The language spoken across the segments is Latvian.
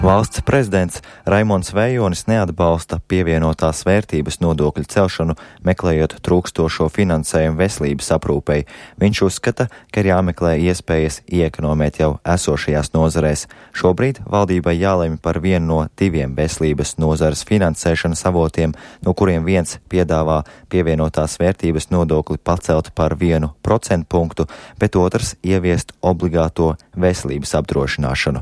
Valsts prezidents Raimonds Vējonis neatbalsta pievienotās vērtības nodokļu celšanu, meklējot trūkstošo finansējumu veselības aprūpei. Viņš uzskata, ka ir jāmeklē iespējas iekonomēt jau esošajās nozarēs. Šobrīd valdībai jālemj par vienu no 2 veselības nozares finansēšanas avotiem, no kuriem viens piedāvā pievienotās vērtības nodokli pacelt par 1% punktu, bet otrs ieviest obligāto veselības apdrošināšanu.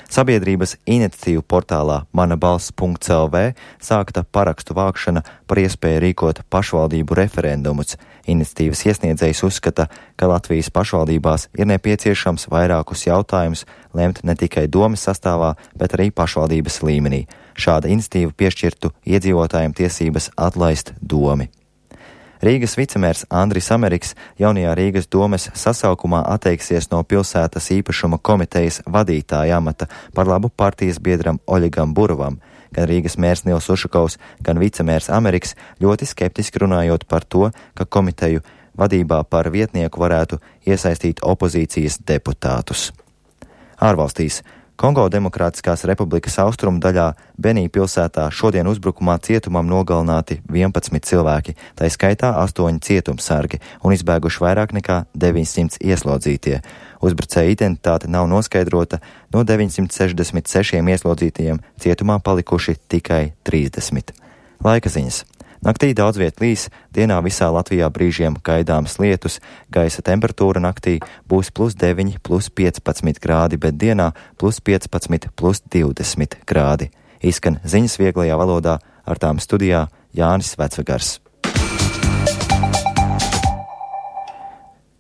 Sabiedrības iniciatīvu portālā manabalss.lv sākta parakstu vākšana par iespēju rīkot pašvaldību referendumus. Iniciatīvas iesniedzējs uzskata, ka Latvijas pašvaldībās ir nepieciešams vairākus jautājumus lemt ne tikai domes sastāvā, bet arī pašvaldības līmenī. Šāda iniciatīva piešķirtu iedzīvotājiem tiesības atlaist domi. Rīgas vicemērs Andris Ameriks jaunajā Rīgas domes sasaukumā atteiksies no pilsētas īpašuma komitejas vadītāja amata par labu partijas biedram Oļegam Burovam. Gan Rīgas mērs Nils Ušakovs, gan vicemērs Ameriks ļoti skeptiski runājot par to, ka komiteju vadībā par vietnieku varētu iesaistīt opozīcijas deputātus. Ārvalstīs. Kongo Demokrātiskās republikas austrumu daļā Benī pilsētā šodien uzbrukumā cietumam nogalināti 11 cilvēki, tai skaitā 8 cietumsargi un izbēguši vairāk nekā 900 ieslodzītie. Uzbrucēja identitāte nav noskaidrota, no 966 ieslodzītajiem cietumā palikuši tikai 30. Laika ziņas. Naktī daudz viet līs, dienā visā Latvijā brīžiem gaidāms lietus, gaisa temperatūra naktī būs +9, +15 grādi, bet dienā +15, +20 grādi. Izskan ziņas vieglajā valodā, ar tām studijā Jānis Vecvegars.